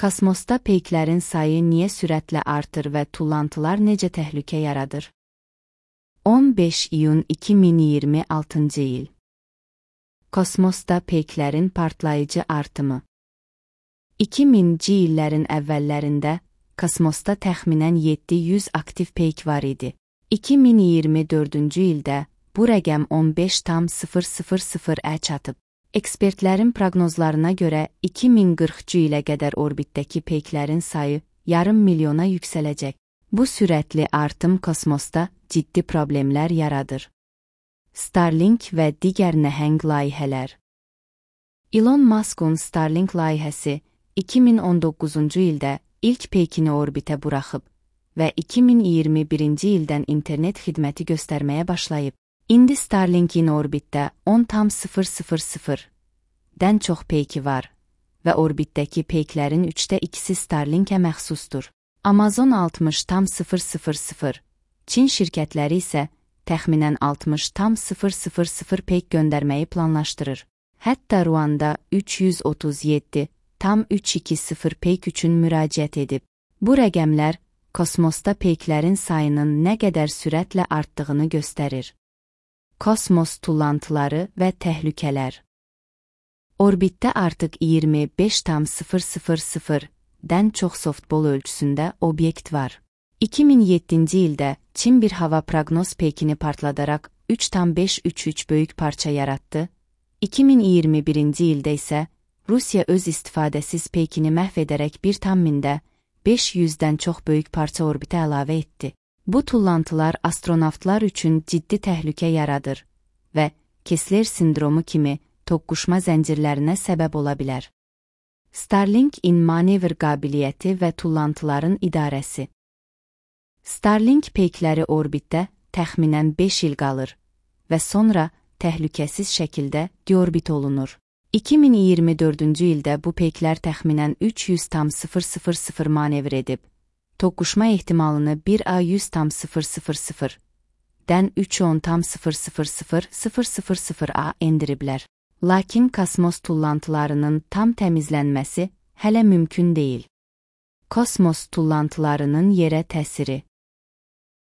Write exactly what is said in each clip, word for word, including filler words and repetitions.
Kosmosda peyklərin sayı niyə sürətlə artır və tullantılar necə təhlükə yaradır? on beş iyun iki min iyirmi altıncı il. Kosmosda peyklərin partlayıcı artımı. iki minci illərin əvvəllərində kosmosda təxminən yeddi yüz aktiv peyk var idi. iki min iyirmi dördüncü ildə bu rəqəm on beş tam sıfır sıfır sıfıra çatıb. Ekspertlərin proqnozlarına görə iki min qırxıncı ilə qədər orbitdəki peyklərin sayı yarım milyona yüksələcək. Bu sürətli artım kosmosda ciddi problemlər yaradır. Starlink və digər nəhəng layihələr. Elon Musk'un Starlink layihəsi iki min on doqquzuncu ildə ilk peykini orbitə buraxıb və iki min iyirmi birinci ildən internet xidməti göstərməyə başlayıb. İndi Starlink'in orbitdə on tam sıfır sıfır sıfırdən çox peyki var və orbitdəki peyklərin üçdə ikisi Starlink'ə məxsusdur. Amazon altmış tam sıfır sıfır sıfır, Çin şirkətləri isə təxminən altmış tam sıfır sıfır sıfır peyk göndərməyi planlaşdırır. Hətta Ruanda üç yüz otuz yeddi tam üç iki sıfır peyk üçün müraciət edib. Bu rəqəmlər kosmosda peyklərin sayının nə qədər sürətlə artdığını göstərir. Kosmos tullantıları və təhlükələr. Orbitdə artıq iyirmi beş tam sıfır sıfır sıfırdən çox softbol ölçüsündə obyekt var. iki min yeddinci ildə Çin bir hava proqnoz peykini partladaraq üç tam beş üç üç böyük parça yaratdı. iki min iyirmi birinci ildə isə Rusiya öz istifadəsiz peykini məhv edərək bir tam mində beş yüzdən çox böyük parça orbitə əlavə etdi. Bu tullantılar astronavtlar üçün ciddi təhlükə yaradır və Kessler sindromu kimi toqquşma zəncirlərinə səbəb ola bilər. Starlink-in manevr qabiliyyəti və tullantıların idarəsi. Starlink peykləri orbitdə təxminən beş il qalır və sonra təhlükəsiz şəkildə deorbit olunur. iki min iyirmi dördüncü ildə bu peyklər təxminən üç yüz tam sıfır sıfır sıfır manevr edib, toqquşma ehtimalını bir A yüz tam sıfır sıfır sıfırdən üç on tam sıfır sıfır sıfır sıfır sıfır sıfıra endiriblər. Lakin kosmos tullantılarının tam təmizlənməsi hələ mümkün deyil. Kosmos tullantılarının yerə təsiri.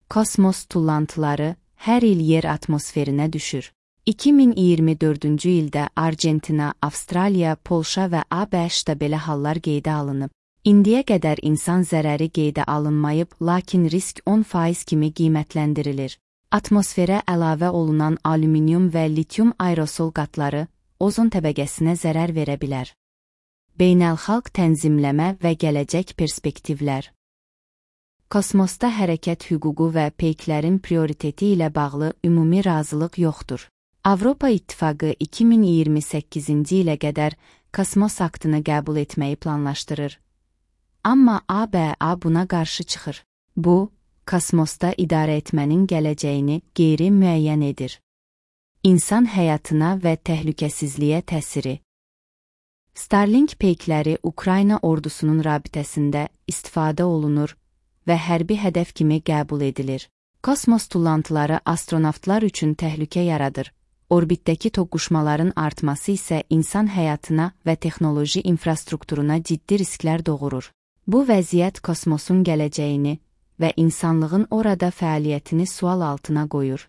Kosmos tullantıları hər il yer atmosferinə düşür. iki min iyirmi dördüncü ildə Argentina, Avstraliya, Polşa və A B Ş-da belə hallar qeydə alınıb. İndiyə qədər insan zərəri qeydə alınmayıb, lakin risk on faiz kimi qiymətləndirilir. Atmosferə əlavə olunan alüminium və litium aerosol qatları ozon təbəqəsinə zərər verə bilər. Beynəlxalq tənzimləmə və gələcək perspektivlər. Kosmosda hərəkət hüququ və peyklərin prioriteti ilə bağlı ümumi razılıq yoxdur. Avropa İttifaqı iki min iyirmi səkkizinci ilə qədər kosmos aktını qəbul etməyi planlaşdırır. Amma A B A buna qarşı çıxır. Bu, kosmosda idarə etmənin gələcəyini qeyri-müəyyən edir. İnsan həyatına və təhlükəsizliyə təsiri. Starlink peykləri Ukrayna ordusunun rabitəsində istifadə olunur və hərbi hədəf kimi qəbul edilir. Kosmos tullantıları astronavtlar üçün təhlükə yaradır. Orbitdəki toqquşmaların artması isə insan həyatına və texnoloji infrastrukturuna ciddi risklər doğurur. Bu vəziyyət kosmosun gələcəyini və insanlığın orada fəaliyyətini sual altına qoyur.